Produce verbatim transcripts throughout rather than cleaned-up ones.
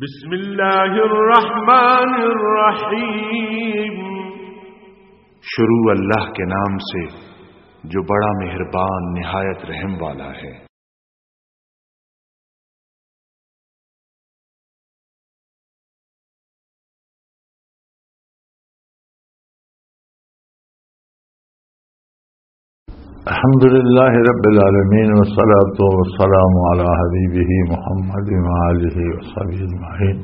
بسم اللہ الرحمن الرحیم۔ شروع اللہ کے نام سے جو بڑا مہربان نہایت رحم والا ہے۔ الحمد لله رب العالمين، والصلاة والسلام على حبيبه محمد وآله وصحبه أجمعين.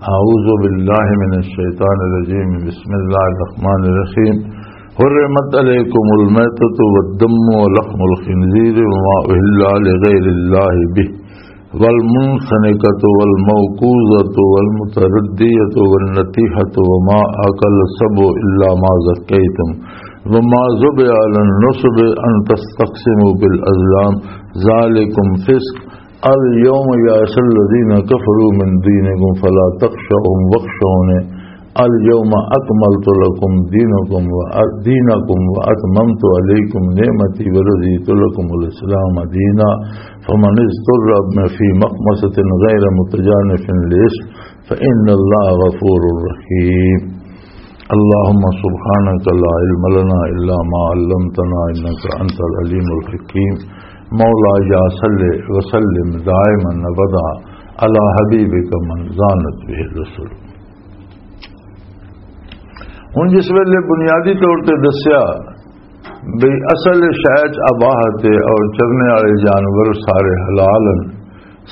أعوذ بالله من الشيطان الرجيم. بسم الله الرحمن الرحيم. حرمت عليكم الميتة والدم ولحم الخنزير وما أهل لغير الله به والمنخنقة والموقوذة والمتردية والنطيحة وما أكل السبع إلا ما ذكيتم وما ذبح على النصب أن تستقسموا بالأزلام ذلكم فسق. اليوم يئس الذين كفروا من دينكم فلا تخشوهم واخشوني اليوم أكملت لكم دينكم و-، دينكم وأتممت عليكم نعمتي ورضيت لكم الإسلام دينا فمن اضطر في مخمصة غير متجانف لإثم فإن الله غفور رحيم. اللهم سبحانك لا علم لنا إلا ما علمتنا إنك أنت العليم الحكيم. مولاي صل وسلم دائما أبدا على حبيبك من زانت به الرسل. ہن جس ویلے بنیادی طور تے دسیا بھئی اصل شے چ اباہت ہے اور چرنے والے جانور سارے حلال ہیں،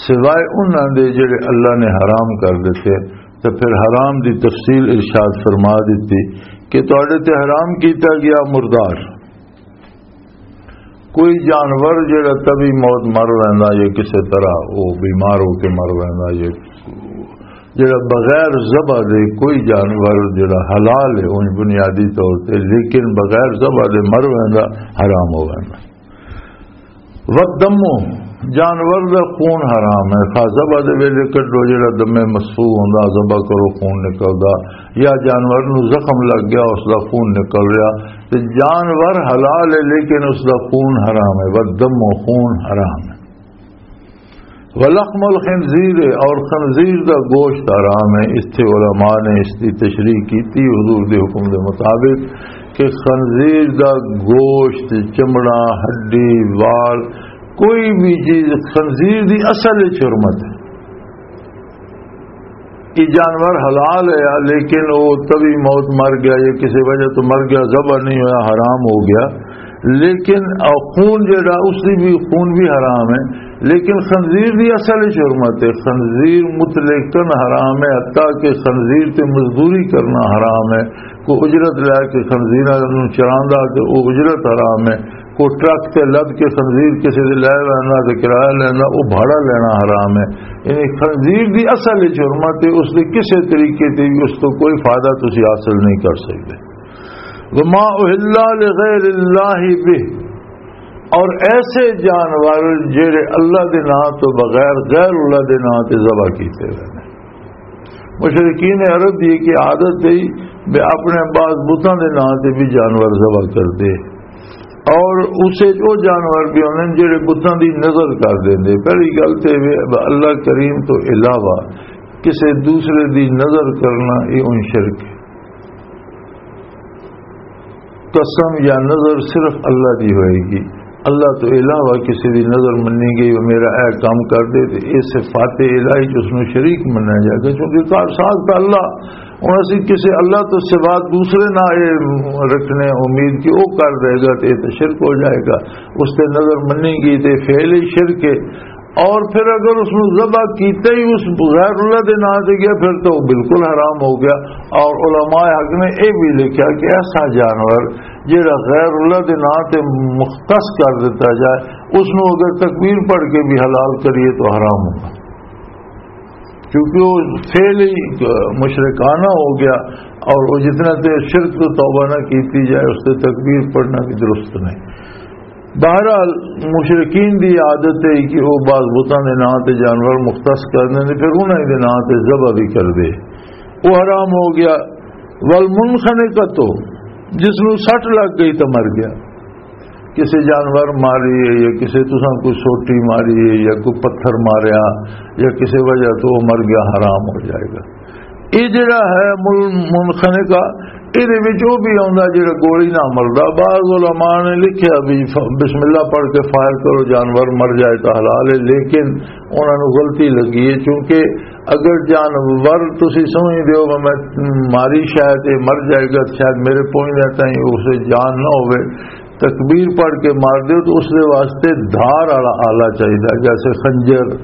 سوائے انہاں دے جڑے اللہ نے حرام کر دتے، تے پھر حرام دی تفصیل ارشاد فرما دتی کہ تہاڈے تے حرام کیتا گیا مردار۔ کوئی جانور جڑا طبی موت مر ویندا یا کسے طرح وہ بیمار ہو کے مر ویندا یا جڑا بغیر ذبح دے کوئی جانور جڑا حلال ہے اون بنیادی طور تے، لیکن بغیر ذبح دے مر ویندا، حرام ہو ویندا۔ والدم، جانور دا خون حرام ہے۔ خاص ذبح دے ویلے کڈو جڑا دم مسفوح ہوندا، ذبح کرو خون نکلدا، یا جانور نو زخم لگ گیا اس دا خون نکل رہیا، تے جانور حلال ہے لیکن اس دا خون حرام ہے۔ والدم، خون حرام ہے۔ ولحم الخنزیر، اور خنزیر دا گوشت حرام ہے۔ اس تے علماء نے اس دی تشریح کیتی حضور دے حکم دے مطابق کہ خنزیر دا گوشت، چمڑا، ہڈی، وال، کوئی بھی چیز خنزیر دی اصل وچ حرمت ہے۔ یہ جانور حلال ہے، لیکن وہ طبی موت مر گیا یا کسی وجہ تو مر گیا، ذبح نہیں ہویا، حرام ہو گیا۔ لیکن خون جڑا، اس دی بھی، خون بھی حرام ہے۔ لیکن خنزیر دی اصل وچ حرمت ہے۔ خنزیر مطلقاً حرام ہے، حتیٰ کہ خنزیر تے مزدوری کرنا حرام ہے۔ کوئی اجرت لے کے خنزیراں نوں چراندا تے او اجرت حرام ہے۔ کوئی ٹرک تے لد کے خنزیر کسے دے لے ویندا تے کرایہ لیندا، او بھاڑا لینا حرام ہے۔ یعنی خنزیر دی اصل وچ حرمت ہے، اس دے کسے طریقے تے بھی اس تو کوئی فائدہ تسی حاصل نہیں کر سکدے۔ وما اہل لغیر اللہ بہ، اور ایسے جانور جڑے اللہ دے نام تو بغیر غیر اللہ دے نام تے ذبح کیتے ہوئے نے۔ مشرکین عرب دی ایک عادت ہے بے اپنے بعض بتاں دے نام تے بھی جانور ذبح کر دے، اور اسے او جانور بھی ہوندے نے جڑے بتاں دی نظر کر دیندے۔ پہلی گل تے وے اللہ کریم تو علاوہ کسے دوسرے دی نظر کرنا، یہ ان شرک ہے۔ قسم یا نظر صرف اللہ دی ہوئے گی، اللہ تو علاوہ کسی دی نظر منی گئی، وہ میرا اے کام کر دے، تے اے صفات الہی جو اس نوں شریک منیا جائے گا، کیونکہ کار ساز تو اللہ، ہن اسی کسی اللہ تو سوا دوسرے نہ اے رکھنے امید کہ وہ کر دے گا، تے اے تے شرک ہو جائے گا۔ اس تے نظر منی گئی تے فعل ہی شرک ہے۔ اور پھر اگر اس نوں ذبح کیتے ہی اس غیر اللہ دے نام تے گیا، پھر تو بالکل حرام ہو گیا۔ اور علماء حق نے یہ بھی لکھا کہ ایسا جانور جڑا غیر اللہ دے نام تے مختص کر دیتا جائے، اس نوں اگر تکبیر پڑھ کے بھی حلال کریے تو حرام ہوگا، کیونکہ وہ فعل ہی مشرکانہ ہو گیا۔ اور وہ جتنا تے شرک تو توبہ نہ کیتی جائے، اس تے تکبیر پڑھنا بھی درست نہیں۔ بہرحال، مشرکین دی عادت ہے کہ وہ بعض بتاں دے نام تے جانور مختص کر دیں، پھر انہاں دے نام تے ذبح بھی کر دے، وہ حرام ہو گیا۔ والمنخنقۃ، جس نوں سٹ لگ گئی تو مر گیا۔ کسی جانور ماری ہے یا کسی تساں کوئی سوٹی ماری ہے یا کوئی پتھر ماریا یا کسی وجہ تو وہ مر گیا، حرام ہو جائے گا۔ یہ جڑا ہے مل-، منخنقہ، یہ بھی آتا جڑا گولی نہ مردا۔ بعض علماء نے لکھیا بھی ف-، بسم اللہ پڑھ کے فائر کرو، جانور مر جائے تو حلال ہے، لیکن انہاں نوں غلطی لگی ہے، کیونکہ اگر جانور تسی سمجھ دیو میں، میں ماری شاید یہ مر جائے گا، شاید میرے پہنچنے تائیں اسے جان نہ ہوئے، تکبیر پڑھ کے مار دیو تو اس دے واسطے دھار والا آلہ چاہیدا، جیسے خنجر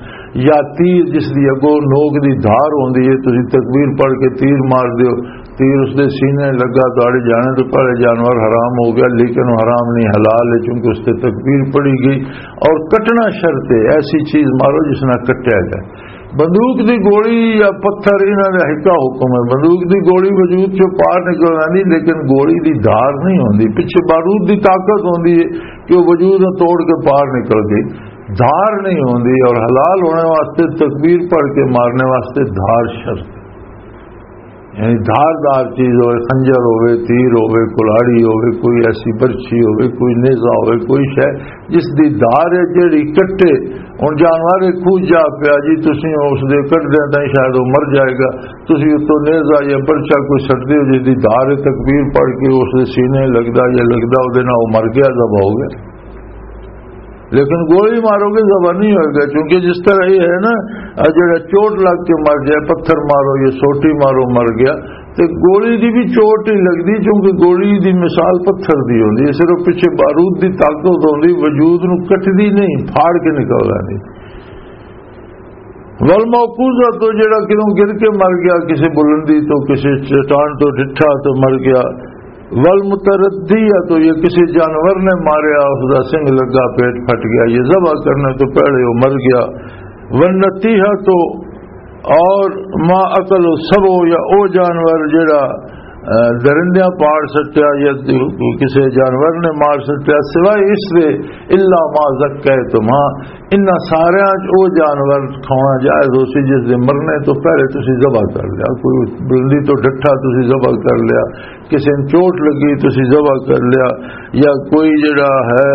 یا تیر، جس دی اگوں نوک دی دھار ہوندی ہے۔ تسی تکبیر پڑھ کے تیر مار دیو، تیر اس دے سینے لگا، تہاڈے جانے تو پہلے جانور حرام ہو گیا، لیکن وہ حرام نہیں، حلال ہے، چونکہ اس تے تکبیر پڑھی گئی۔ اور کٹنا شرط ہے، ایسی چیز مارو جس نہ کٹیا جائے۔ بندوق دی گولی یا پتھر، انہاں دا ہکا حکم ہے۔ بندوق دی گولی وجود چوں پار نکل آندی، لیکن گولی دی دھار نہیں ہوندی۔ پچھے بارود دی طاقت ہوندی ہے کہ وہ وجود نوں توڑ کے پار نکل گئی، دھار نہیں ہوندی۔ اور حلال ہونے واسطے، تکبیر پڑھ کے مارنے واسطے دھار شرط، یعنی دھاردار چیز ہوئے، خنجر ہوئے، تیر ہوئے، کلاڑی ہوئے، کوئی ایسی برچھی ہوئے، کوئی نیزہ ہوئے، کوئی شے جس دی دھار ہے جیڑی کٹے۔ ہن جانور ایک کھوج جا پیا جی، تسی اس دے کٹ دے تائیں شاید وہ مر جائے گا، تسی اتوں نیزہ یا برچا کوئی سٹ دیو جس دی دھار ہے، تکبیر پڑھ کے اس دے سینے لگدا یا لگدا، وہ دے نال وہ مر گیا، ذبح ہو گیا۔ لیکن گولی مارو گے، ذبح نہیں ہوئے گا، کیونکہ جس طرح یہ ہے نا، آ جڑا چوٹ لگ کے مر جائے، پتھر مارو یا سوٹی مارو، مر گیا، تے گولی دی بھی چوٹ نہیں لگدی، کیونکہ گولی دی مثال پتھر دی ہوندی ہے، صرف پچھے بارود دی طاقت ہوندی، وجود نو کٹدی نہیں، پھاڑ کے نکل آندی۔ والموقوذہ تو، جڑا کدوں گر کے مر گیا، کسی بلندی تو، کسی چٹان تو ڈٹھا تو مر گیا، والمتردیہ تو، یہ کسی جانور نے ماریا، اس دا سنگ لگا، پیٹ پھٹ گیا، یہ ذبح کرنے تو پہلے وہ مر گیا۔ والنتیحہ تو، اور ما اکل السبع، یا او جانور جڑا، اے، درندیاں پاڑ سٹیا یا کسی جانور نے مار سٹیا، سوائے اس دے، الا ما ذکیتم، ہاں، انہاں ساریاں چ او جانور کھانا جائز ہو سی جس دے مرنے تو پہلے تسی ذبح کر لیا۔ کوئی بلندی تو ڈٹھا تسی ذبح کر لیا، کسی نے چوٹ لگی تسی ذبح کر لیا، یا کوئی جڑا ہے،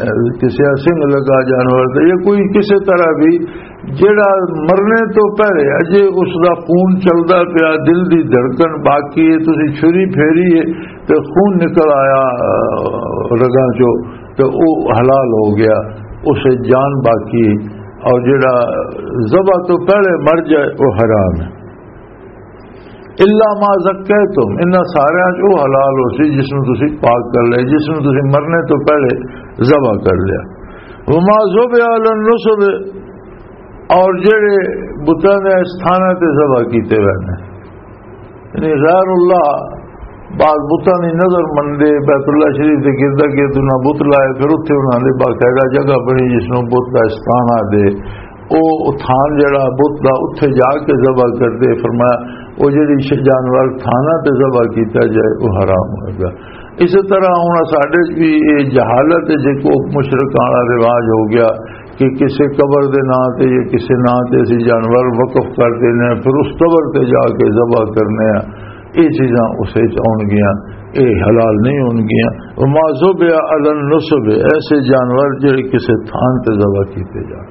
اے، کسی سنگ لگا جانور تے، یا کوئی کسی طرح بھی جڑا مرنے تو پہلے اجے اس دا خون چلدا پیا، دل دی دھڑکن باقی ہے، تسی چھری پھیری ہے تے خون نکل آیا، اے، رگاں چوں، تے او حلال ہو گیا، اسے جان باقی ہے۔ اور جڑا ذبح تو پہلے مر جائے، وہ حرام ہے۔ الا ما ذکیتم، انہاں ساریاں چ او حلال ہو سی جس نوں تسی پاک کر لیا، جس نوں تسی مرنے تو پہلے ذبح کر لیا۔ وما ذبح علی النصب، اور جڑے بتاں دے استھاناں تے ذبح کیتے ہوئے نے، یعنی غیر اللہ، بعض بتاں دی نظر مندے، بیت اللہ شریف دے گردا گرد انہاں بت لائے، پھر اتھے انہاں دے باقاعدہ جگہ بنی جس نوں بت دا استھان آ دے، او تھان جڑا بت دا اتھے جا کے ذبح کردے۔ فرمایا، او جڑی ش-، جانور تھاناں تے ذبح کیتا جائے، او حرام ہوئے گا۔ اسی طرح ہن ساڈے چ بھی یہ جہالت ہے، جے کو مشرکاں والا رواج ہو گیا کہ کسے قبر دے ناں تے یا کسے ناں تے اسی جانور وقف کر دینے ہیں، پھر اس قبر تے جا کے ذبح کرنے ہیں۔ یہ چیزاں اسے چ آن گیاں، یہ حلال نہیں ہون گیاں۔ وما ذبح علی النصب، ایسے جانور جڑے کسے تھان تے ذبح کیتے جان۔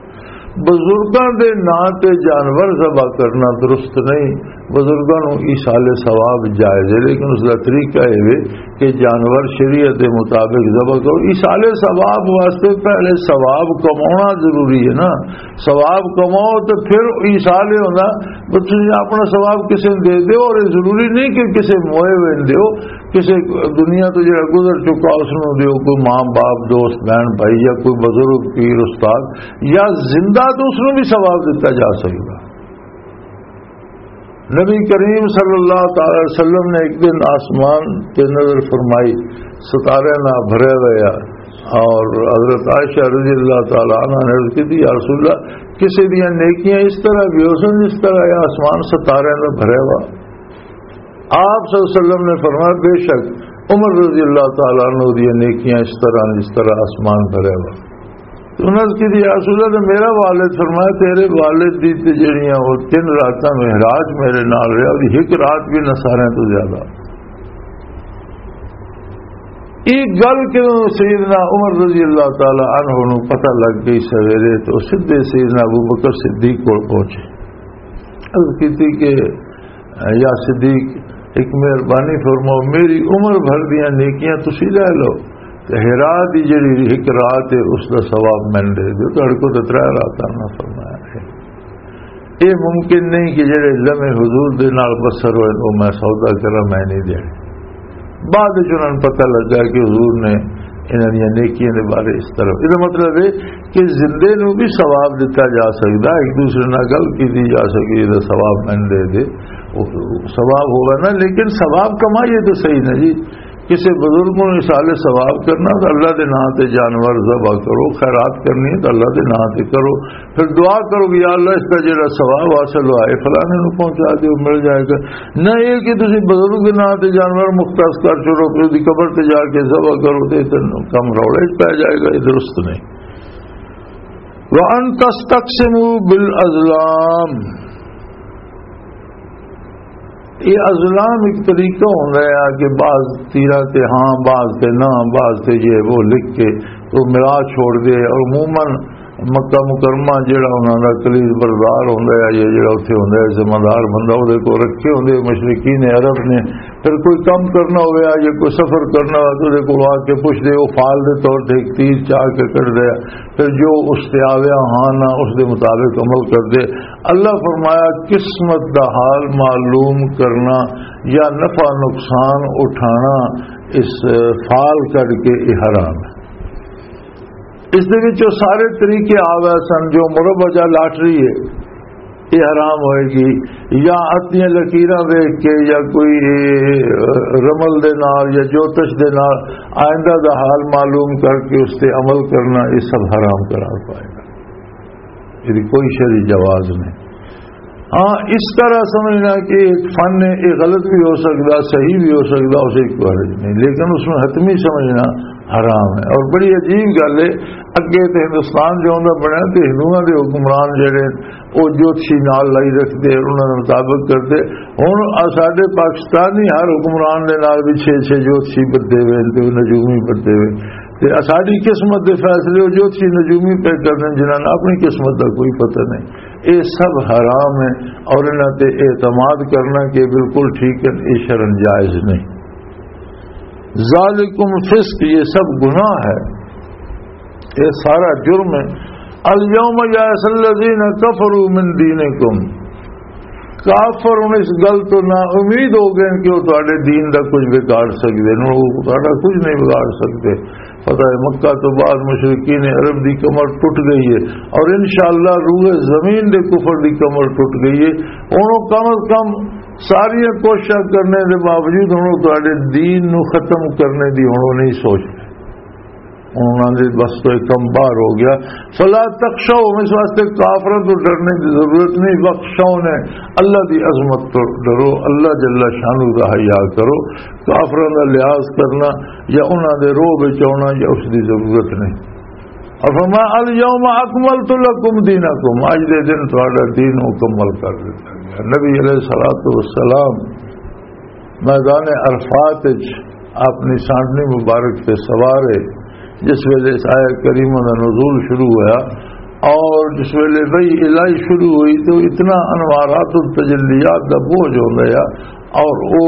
بزرگاں دے ناں تے جانور ذبح کرنا درست نہیں۔ بزرگاں نوں ایصال ثواب جائز ہے، لیکن اس دا طریقہ یہ ہے کہ جانور شریعت دے مطابق ذبح کرو۔ ایصال ثواب واسطے پہلے ثواب کمانا ضروری ہے نا۔ ثواب کماؤ تے پھر ایصال ہوندا، بس تسی اپنا ثواب کسے نوں دے دیو، اور یہ ضروری نہیں کہ کسے موئے ہوئے نوں دیو، کسے دنیا تو جڑا گزر چکا اس نوں دیو، کوئی ماں باپ، دوست، بہن، بھائی یا کوئی بزرگ، پیر، استاد یا زندہ تو اس نوں بھی ثواب دتا جا سکدا۔ نبی کریم صلی اللہ تعالی علیہ وسلم نے ایک دن آسمان تے نظر فرمائی، ستارے نال بھرے ہوئے آ، اور حضرت عائشہ رضی اللہ تعالی عنہ نے عرض کی تھی، یا رسول اللہ، کسی دیاں نیکیاں اس طرح بھی ہو سن جس طرح یہ آسمان ستارے نال بھرے ہوا؟ آپ صلی اللہ علیہ وسلم نے فرمایا، بے شک عمر رضی اللہ تعالی عنہ دیاں نیکیاں اس طرح، جس طرح آسمان بھرے ہوا۔ تو انہاں نے کہا، یا رسول اللہ، تو میرا والد، فرمایا، تیرے والد دی تے جڑیاں وہ تین راتاں معراج میرے نال رہیا، اور ایک رات بھی نہ سارے تو زیادہ۔ ایک گل کہ سیدنا عمر رضی اللہ تعالی عنہ نوں پتہ لگ گئی سویرے، تو سیدھے سیدنا ابو بکر صدیق کول پہنچے۔ عرض کیتی کہ یا صدیق، ایک مہربانی فرماؤ، میری عمر بھر دیاں نیکیاں تسی لے لو، تے ہرا دی جڑی ایک رات ہے، اس دا ثواب میں دے دیو، تہاڈے کول تے ترے راتاں نہ فرمایا ہے۔ یہ ممکن نہیں کہ جڑے لمحے حضور دے نال بسر ہوئے، وہ میں سودا کراں، میں نہیں دینے۔ بعد وچ انہاں نوں پتہ لگا کہ حضور نے انہاں دیاں نیکیاں دے بارے اس طرح، یہ مطلب ہے کہ زندے نوں بھی ثواب دتا جا سکدا، ایک دوسرے نال گل کیتی جا سکدی، یہ ثواب میں دے دے، وہ ثواب ہوگا نا، لیکن ثواب کمائیے تو صحیح نا جی۔ کسی بزرگ نوں ایصال ثواب کرنا تو اللہ دے نام تے جانور ذبح کرو، خیرات کرنی ہے تو اللہ دے نام تے کرو، پھر دعا کرو کہ یا اللہ، اس کا جڑا ثواب حاصل ہوا ہے، فلانے نوں پہنچا دیو، مل جائے گا۔ نہ یہ کہ تسی بزرگ دے نام تے جانور مختص کر چھوڑو، پھر دی قبر تے جا کے ذبح کرو، تے اتنا کم روڑے پہ جائے گا، یہ درست نہیں۔ وَأَن تَسْتَقْسِمُوا بِالْأَزْلَامِ۔ یہ ازلام ایک طریقہ ہوندا ہے کہ بعض تیراں تے ہاں، بعض تے نہ، بعض تے یہ وہ لکھ کے تو ملا چھوڑ دے۔ اور عموماً مکہ مکرمہ جڑا انہاں دا کلید بردار ہوندا ہے یا جڑا اتھے ہوندا ہے ذمہ دار بندہ، اودے کول رکھے ہوندے مشرکین عرب نے۔ پھر کوئی کم کرنا ہوئے یا کوئی سفر کرنا ہوئے تو اودے کول آ کے پوچھ دے، وہ فال دے طور تے ایک تیر چاہ کے کٹ دے۔ پھر جو اس تے آویا ہاں نہ، اس دے مطابق عمل کر دے۔ اللہ فرمایا، قسمت دا حال معلوم کرنا یا نفع نقصان اٹھانا اس فال کر کے یہ حرام ہے۔ اس دے وچ وہ سارے طریقے آ گئے سن، جو مربع جا لاٹری ہے، یہ حرام ہوئے گی، یا اتنی لکیراں دیکھ کے یا کوئی رمل دے نال یا جوتش دے نال آئندہ دا حال معلوم کر کے اس تے عمل کرنا، یہ سب حرام قرار پائے گا۔ یہ کوئی شرعی جواز نہیں۔ ہاں، اس طرح سمجھنا کہ ایک فن ہے، یہ غلط بھی ہو سکتا، صحیح بھی ہو سکتا، اسے کوئی حرج نہیں، لیکن اس میں حتمی سمجھنا حرام ہے۔ اور بڑی عجیب گل ہے، اگے تے ہندوستان جو ہوندا بنیا تے ہندوؤں دے حکمران جڑے، وہ جوتشی نال لائی رکھتے، انہاں دے مطابق کرتے۔ ہن آ ساڈے پاکستانی ہر حکمران دے نال بھی چھ چھ جوتشی بدے ہوئے تے نجومی بدے ہوئے۔ تے آ ساڈی قسمت دے فیصلے وہ جوتشی نجومی پہ کرنے، جنہاں نوں اپنی قسمت دا کوئی پتہ نہیں۔ یہ سب حرام ہے، اور انہاں تے اعتماد کرنا کہ بالکل ٹھیک ہے، یہ شرعاً جائز نہیں۔ ذالکم فسق، یہ سب گناہ ہے، یہ سارا جرم ہے۔ الیوم یئس الذین کفروا من دینکم، کافر ہن اس گل تو نا امید ہو گئے کہ وہ تہاڈے دین دا کچھ بگاڑ سکدے نے، وہ تہاڈا کچھ نہیں بگاڑ سکدے۔ فتح مکہ تو بعد مشرکین عرب دی کمر ٹوٹ گئی ہے، اور انشاءاللہ روئے زمین دے کفر دی کمر ٹوٹ گئی ہے۔ ہن وہ کم از کم ساریاں کوششاں کرنے دے باوجود ہن وہ تہاڈے دین نو ختم کرنے دی ہن وہ نہیں سوچ رہے۔ انہاں دے بس تو ایک کم باہر ہو گیا۔ فلا تخشوہم، اس واسطے کافراں تو ڈرنے دی ضرورت نہیں، واخشونی، اللہ دی عظمت تو ڈرو، اللہ جل شانہ دا حیا کرو۔ کافراں دا لحاظ کرنا یا انہاں دے روب وچ آنا یا اس دی ضرورت نہیں۔ اور فرمایا، الیوم اکملت لکم دینکم، اج دے دن تہاڈا دین مکمل کر دتا گیا۔ نبی علیہ الصلوۃ والسلام میدان عرفات وچ اپنی سانڈنی مبارک تے سوار ہے، جس ویلے اس آیت کریمہ دا نزول شروع ہویا، اور جس ویلے وحی الہی شروع ہوئی تو اتنا انوارات التجلیات دا بوجھ ہوندا ہے، اور او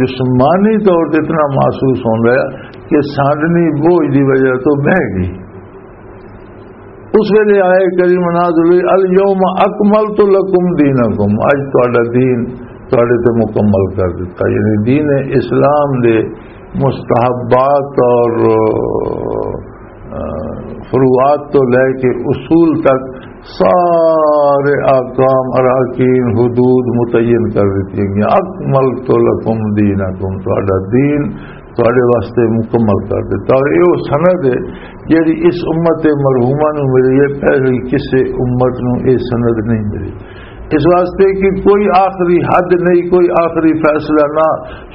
جسمانی طور تے اتنا محسوس ہوندا ہے کہ سانڈنی بوجھ دی وجہ تو بہہ گئی۔ اس ویلے آئے کریم نازل ہوئی، الیوم اکملت لکم دینکم، اج تہاڈا دین تہاڈے تے مکمل کر دتا۔ یعنی دین اسلام دے مستحبات اور، آ، فروعات تو لے کے اصول تک سارے احکام، اراکین، حدود متعین کر دیتی گئی۔ اکملت لکم دینکم، تہاڈا دین تہاڈے واسطے مکمل کر دتا۔ اور یہ وہ سند ہے جڑی اس امت مرحومہ نو ملی ہے، پہلی کسے امت نو یہ سند نہیں ملی۔ اس واسطے کہ کوئی آخری حد نہیں، کوئی آخری فیصلہ نہ۔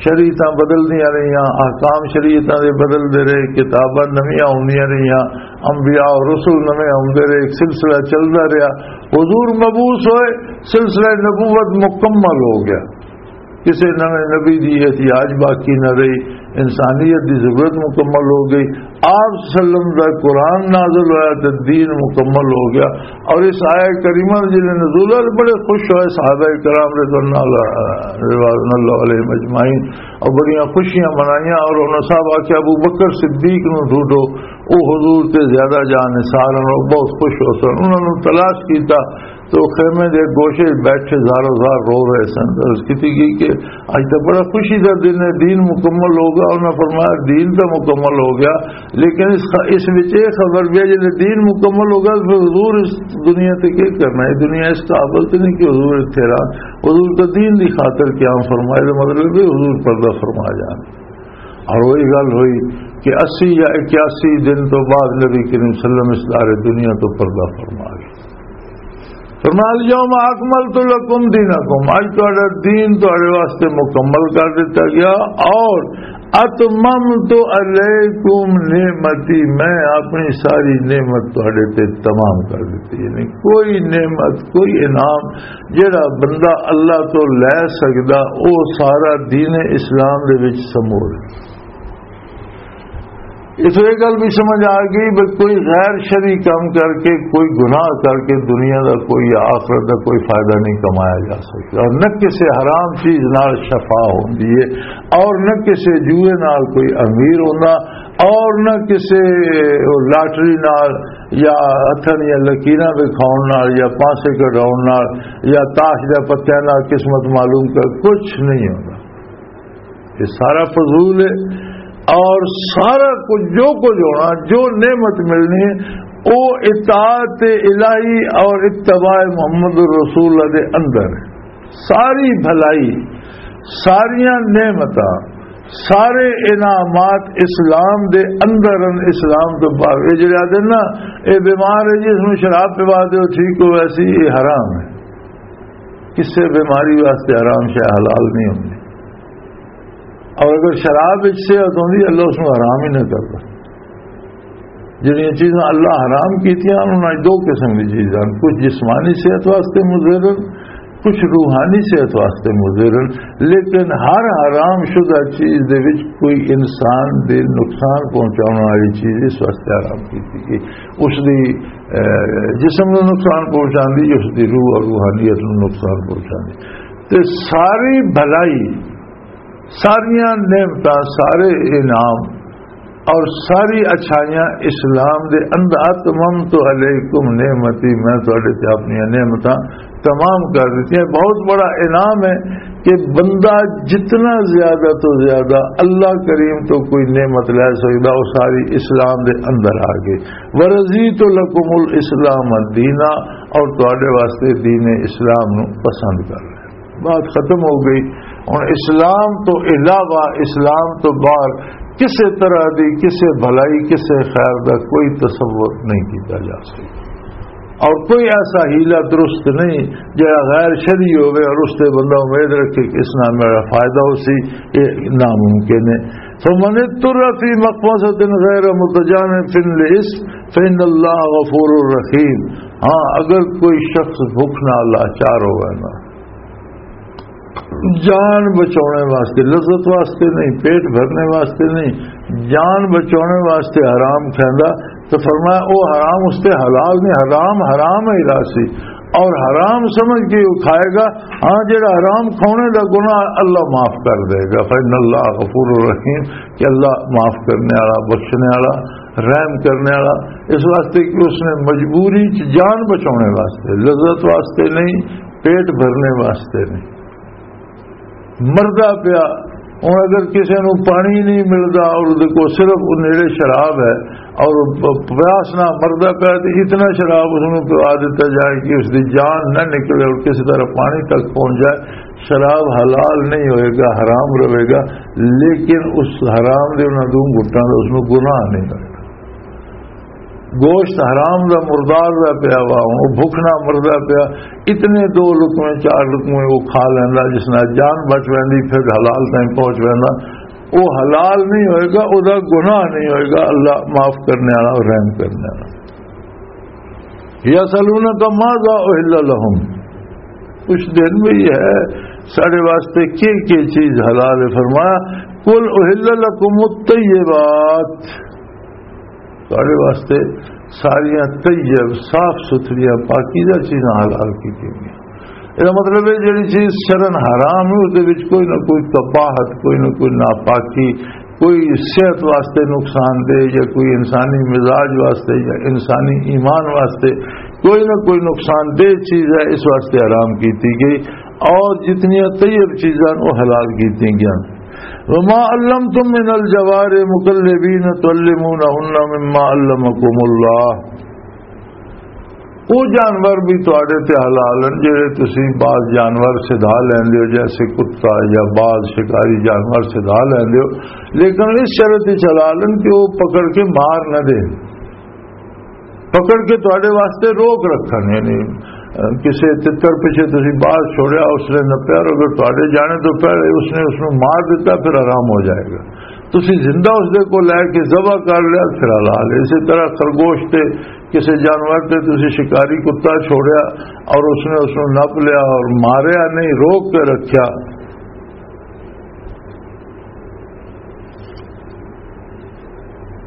شریعتاں بدلدیاں رہیاں، احکام شریعتاں دے بدلدے رہے، کتاباں نویاں ہوندیاں رہیاں، انبیاء اور رسول نویں آوندے رہے، ایک سلسلہ چلدا رہیا۔ حضور مبعوث ہوئے، سلسلہ نبوت مکمل ہو گیا۔ کسے نویں نبی دی احتیاج باقی نہ رہی، انسانیت دی ضرورت مکمل ہو گئی۔ آپ صلی اللہ علیہ وسلم دا قرآن نازل ہویا تے دین مکمل ہو گیا۔ اور اس آیہ کریمہ دے جلے نزول ہوئے، بڑے خوش ہوئے صحابہ کرام رضوان اللہ، رضوان اللہ علیہم اجمعین، اور بڑیاں خوشیاں منائیاں۔ اور انہاں صاحب آکھیا، ابو بکر صدیق نوں ڈھونڈو، او حضور تے زیادہ جان نثار ہن، او بہت خوش ہو سن۔ انہاں نوں تلاش کیتا، تو خیمے دے گوشے بیٹھے زارو زار رو رہے سن۔ عرض کیتی گئی کہ اج تو بڑا خوشی دا دن ہے، دین مکمل ہو گیا۔ انہاں فرمایا، دین تو مکمل ہو گیا، لیکن اس خ-، اس وچ یہ خبر بھی ہے، جب دین مکمل ہو گیا تو پھر حضور اس دنیا تے کیا کرنا ہے؟ دنیا اس قابل تو نہیں کہ حضور اتھے رہن۔ حضور تو دین دی خاطر قیام فرمائے، تو مطلب ہے حضور پردہ فرما جان۔ اور وہی گل ہوئی کہ اسی یا اکیاسی دن تو بعد نبی کریم صلی اللہ علیہ وسلم اس دار دنیا تو پردہ فرما گئے۔ فرمایا، الیوم اکملت لکم دینکم، اج تہاڈا دین تہاڈے واسطے مکمل کر دتا گیا، اور اتممت علیکم نعمتی، میں اپنی ساری نعمت تہاڈے تے تمام کر دتی۔ یعنی کوئی نعمت، کوئی انعام جڑا بندہ اللہ تو لے سکدا، او سارا دین اسلام دے وچ سمور ہے۔ اس وچ یہ گل بھی سمجھ آ گئی، بس کوئی غیر شرعی کام کر کے، کوئی گناہ کر کے دنیا دا کوئی یا آخرت دا کوئی فائدہ نہیں کمایا جا سکتا، اور نہ کسی حرام چیز نال شفا ہوندی ہے، اور نہ کسی جوئے نال کوئی امیر ہوندا، اور نہ کسی لاٹری نال یا ہتھاں دیاں لکیراں وکھاؤن نال یا پانسے کڈاؤن نال یا تاش دے پتیاں نال قسمت معلوم کر، کچھ نہیں ہوندا۔ یہ سارا فضول ہے۔ اور سارا کچھ، جو کچھ ہونا، جو نعمت ملنی ہے، وہ اطاعت الہی اور اتباع محمد الرسول اللہ دے اندر ہے۔ ساری بھلائی، ساریاں نعمتاں، سارے انعامات اسلام دے اندر ہن، اسلام تو باہر۔ یہ جڑے آدھے نا، یہ بیمار ہے جی، اس نوں شراب پوا دیو، ٹھیک ہو، ویسی یہ حرام ہے۔ کسے بیماری واسطے حرام شے حلال نہیں ہوندی۔ اور اگر شراب وچ صحت ہوندی، اللہ اس نوں حرام ہی نہ کردا۔ جڑیاں چیزاں اللہ حرام کیتیاں، انہاں وچ دو قسم دی چیزاں، کچھ جسمانی صحت واسطے مضر ہن، کچھ روحانی صحت واسطے مضر ہن۔ لیکن ہر حرام شدہ چیز دے وچ کوئی انسان دے نقصان پہنچاؤن والی چیز اس واسطے حرام کیتی گئی۔ اس دی، اے، جسم نوں نقصان پہنچاندی، اس دی روح اور روحانیت نوں نقصان پہنچاندی۔ تے ساری بھلائی، ساریاں نعمتاں، سارے انعام اور ساری اچھائیاں اسلام دے اندر، اتممت علیکم نعمتی، میں تہاڈے تے اپنی نعمتاں تمام کر دیتی ہیں۔ بہت بڑا انعام ہے کہ بندہ جتنا زیادہ تو زیادہ اللہ کریم تو کوئی نعمت لے سکدا، وہ ساری اسلام دے اندر آ گئی۔ ورضیت لکم الاسلام دینا، اور تہاڈے واسطے دین اسلام نو پسند کر لیا۔ بات ختم ہو گئی۔ ہن اسلام تو علاوہ، اسلام تو باہر کسے طرح دی، کسے بھلائی، کسے خیر دا کوئی تصور نہیں کیتا جا سکتا۔ اور کوئی ایسا حیلہ درست نہیں جڑا غیر شرعی ہوئے اور اس تے بندہ امید رکھے کہ اس نال میرا فائدہ ہو سی، یہ ناممکن ہے۔ فمن اضطر فی مخمصۃ غیر متجانف لإثم فإن اللہ غفور رحیم۔ ہاں، اگر کوئی شخص بھوک نال لاچار ہوئے نا، جان بچاؤنے واسطے، لذت واسطے نہیں، پیٹ بھرنے واسطے نہیں، جان بچاؤنے واسطے حرام کھیندا، تو فرمایا، او حرام اس تے حلال نہیں، حرام حرام ہی راسی، اور حرام سمجھ کے وہ کھائے گا۔ ہاں، جڑا حرام کھانے دا گناہ اللہ معاف کر دے گا، فإن اللہ غفور رحیم، کہ اللہ معاف کرنے والا، بخشنے والا، رحم کرنے والا۔ اس واسطے کہ اس نے مجبوری چ جان بچاؤنے واسطے، لذت واسطے نہیں، پیٹ بھرنے واسطے نہیں۔ مردا پیا، ہن اگر کسے نوں پانی نہیں ملدا اور اودے کول صرف او نیڑے شراب ہے اور پ-، پیاس نال مردا پیا، تے اتنا شراب اس نوں پوا دتا جائے کہ اس دی جان نہ نکلے اور کسی طرح پانی تک پہنچ جائے، شراب حلال نہیں ہوئے گا، حرام رہے گا، لیکن اس حرام دے انہاں دو گھٹاں دا اس نوں گناہ نہیں ہوئے گا۔ گوشت حرام دا مردار دا پیا وا، ہن او بھوک نال مردا پیا، اتنے دو لقمے، چار لقمے او کھا لیندا، جس نال جان بچ ویندی، پھر حلال تائیں پہنچ ویندا۔ او حلال نہیں ہوئے گا، او دا گناہ نہیں ہوئے گا، اللہ معاف کرنے والا اور رحم کرنے والا۔ یسألونک ماذا احل لهم، پوچھتے ہیں بھئی ہے ساڈے واسطے کی کی چیز حلال ہے؟ فرمایا، قل احل لکم الطیبات، تہاڈے واسطے ساریاں طیب، صاف ستھریاں، پاکیزہ چیزاں حلال کیتیاں گئیاں۔ اس دا مطلب ہے، جڑی چیز شرعاً حرام ہے، اس دے وچ کوئی نہ کوئی قباحت، کوئی نہ کوئی ناپاکی، کوئی صحت واسطے نقصان دہ یا کوئی انسانی مزاج واسطے یا انسانی ایمان واسطے کوئی نہ کوئی نقصان دہ چیز ہے، اس واسطے حرام کیتی گئی۔ اور جتنیاں طیب چیزاں، وہ حلال کیتی گئیاں۔ وما علمتم من الجوارح مکلبین تعلمونہن مما علمکم اللہ۔ وہ جانور بھی تواڈے تے حلال ہیں، جڑے تسی بعض جانور سدھا لیندے ہو، جیسے کتا یا بعض شکاری جانور سدھا لیندے ہو، لیکن اس شرط وچ حلال ہیں کہ وہ پکڑ کے مار نہ دے۔ پکڑ کے تواڈے واسطے روک رکھن، یعنی، اہ، کسے تتر پیچھے تسی باز چھوڑیا، اس نے نپیا، اور اگر تواڈے جانے تو پہلے اس نے اس نوں مار دیتا، پھر حرام ہو جائے گا۔ تسی زندہ اس دے کو لے کے ذبح کر لیا، پھر حلال ہے۔ اسی طرح خرگوش تے، کسے جانور تے تسی شکاری کتا چھوڑیا اور اس نے اس نوں نپ لیا اور ماریا نہیں، روک کے رکھیا،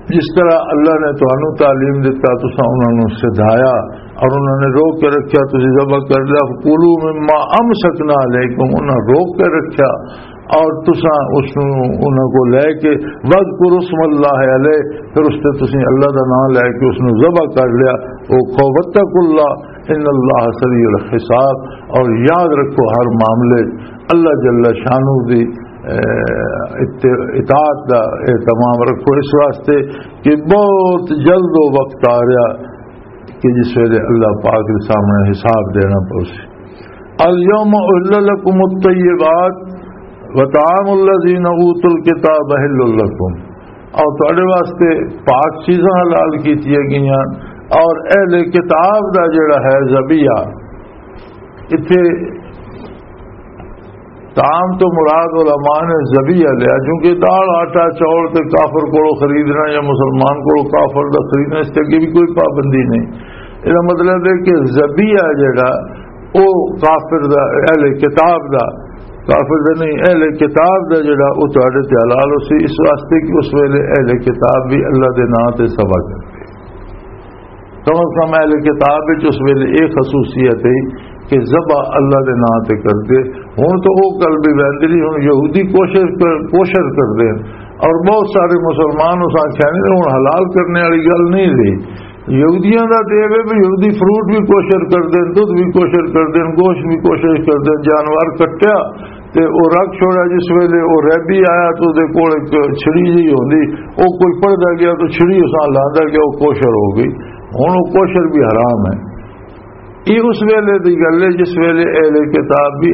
جس طرح اللہ نے تانوں تعلیم دتا، تساں انہاں نوں سدھایا اور انہاں نے روک کے رکھیا، تسی ذبح کر لیا۔ فکلوا مما امسکنا علیکم، انہاں روک کے رکھیا اور تساں اس نوں انہاں کو لے کے، واذکروا اسم اللہ علیہ، پھر اس تے تسی اللہ دا نام لے کے اس نوں ذبح کر لیا۔ او کھو، واتقوا اللہ ان اللہ سریع الحساب، اور یاد رکھو ہر معاملے اللہ جل شانہ دی، اے، اط-، اطاعت دا اہتمام رکھو، اس واسطے کہ بہت جلد وہ وقت آ رہا کہ جس ویلے اللہ پاک دے سامنے حساب دینا پوسی۔ الیوم احل لکم الطیبات وطعام الذین اوتوا الکتاب حل لکم، اور تواڈے واسطے پاک چیزاں حلال کیتیاں گئیاں، اور اہل کتاب دا جڑا ہے ذبیحہ، اتھے طعام تو مراد علماء نے ذبیحہ لیا، کیونکہ دال، آٹا، چاول تے کافر کولوں خریدنا یا مسلمان کولوں کافر دا خریدنا، اس تے اگے بھی کوئی پابندی نہیں۔ اس دا مطلب ہے کہ ذبیحہ جڑا، او کافر دا، اہل کتاب دا، کافر دا نہیں، اہل کتاب دا جڑا، او تہاڈے تے حلال ہو سی، اس واسطے کہ اس ویلے اہل کتاب بھی اللہ دے نام تے ذبح کردے۔ کم از کم اہل کتاب وچ اس ویلے یہ خصوصیت ہے کہ ذبح اللہ دے نام تے کردے۔ ہن تو وہ گل بھی ویندی نہیں، ہن یہودی کوشش کر-، کوشش کردے ہیں، اور بہت سارے مسلمان اس آکھیا نہیں، ہن حلال کرنے والی گل نہیں رہی۔ یہودیاں دا تے ایویں بھی یہودی فروٹ بھی کوشش کردے ہیں، دودھ بھی کوشش کردے ہیں، گوشت بھی کوشش کردے ہیں، جانور کٹیا تے او رکھ چھوڑا، جس ویلے او ریبی آیا تو دے کول ایک چھڑی جی ہوندی، او کوئی پڑھدا گیا تو چھڑی اس نال لاندا گیا، او کوشر ہو گئی۔ ہن او کوشر بھی حرام ہے۔ یہ اس ویلے دی گل ہے جس ویلے اہل کتاب بھی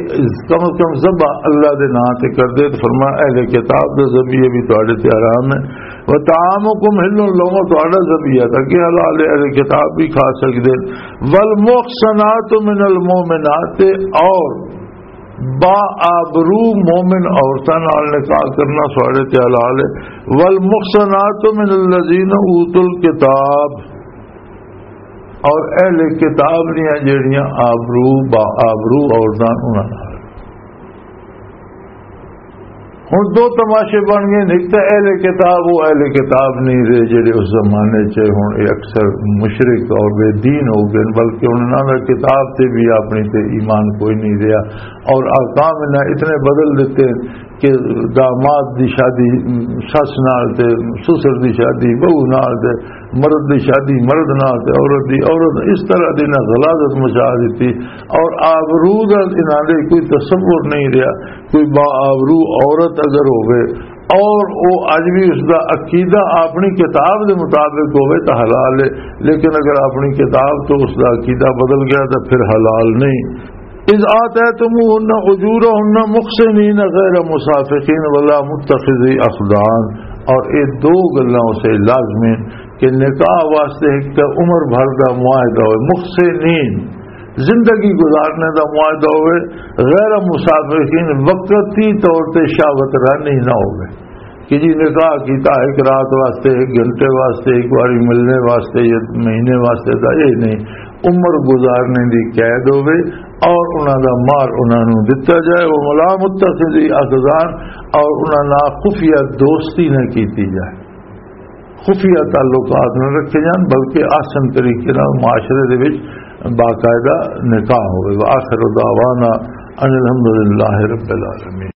کم از کم ذبح اللہ دے نام تے کردے، تو فرمایا اہل کتاب دے ذبیحے بھی تواڈے تے حرام ہے۔ وطعامکم حل لہم، تہاڈا ذبیحہ تاں کہ حلال ہے، اہل کتاب بھی کھا سکدے۔ والمحصنات من المؤمنات، اور با آبرو مومن عورتاں نال نکاح کرنا ساڈے تے حلال ہے۔ والمحصنات من الذین اوتوا الکتاب، اور اہل کتاب دیاں جیڑیاں آبرو، با آبرو عورتاں، انہاں نال۔ ہن دو تماشے بن گئے، ایک تاں اہل کتاب، وہ اہل کتاب نہیں رہے جڑے اس زمانے چ، ہن یہ اکثر مشرک اور بے دین ہو گئے، بلکہ انہاں دا کتاب تے بھی اپنی تے ایمان کوئی نہیں رہا، اور احکام انہاں اتنے بدل دیتے کہ داماد دی شادی سس نال تے، سسر دی شادی بہو نال تے، مرد دی شادی مرد نال تے عورت دی عورت، اس طرح دی نہ غلاظت مچا دیتی۔ اور آبرو دا انہاں دے کوئی تصور نہیں رہا۔ کوئی با آبرو عورت اگر ہوے اور او اج بھی اس دا عقیدہ اپنی کتاب دے مطابق ہوے تاں حلال ہے، لیکن اگر اپنی کتاب تو اس دا عقیدہ بدل گیا تو پھر حلال نہیں۔ اذ آتیتموہن اجورہن محصنین غیر مسافحین ولا متخذی اخدان، اور یہ دو گلاں اسے لازمی کہ نکاح واسطے ایک تو عمر بھر دا معاہدہ ہوئے، محصنین، زندگی گزارنے دا معاہدہ ہوئے، غیر مسافحین، وقتی طور تے شہوت رانی نہ ہوئے کہ جی نکاح کیتا ایک رات واسطے، ایک گھنٹے واسطے، ایک باری ملنے واسطے یا مہینے واسطے، دا یہ نہیں۔ عمر گزارنے دی قید ہوئے اور انہاں دا مہر انہاں نوں دتا جائے۔ وہ ملا متخذی اخدان، اور انہاں نال خفیہ دوستی نہ کیتی جائے، خفیہ تعلقات نہ رکھے جان، بلکہ احسن طریقے نال معاشرے دے وچ باقاعدہ نکاح ہوئے۔ وآخر دعوانا ان الحمد للہ رب العالمین۔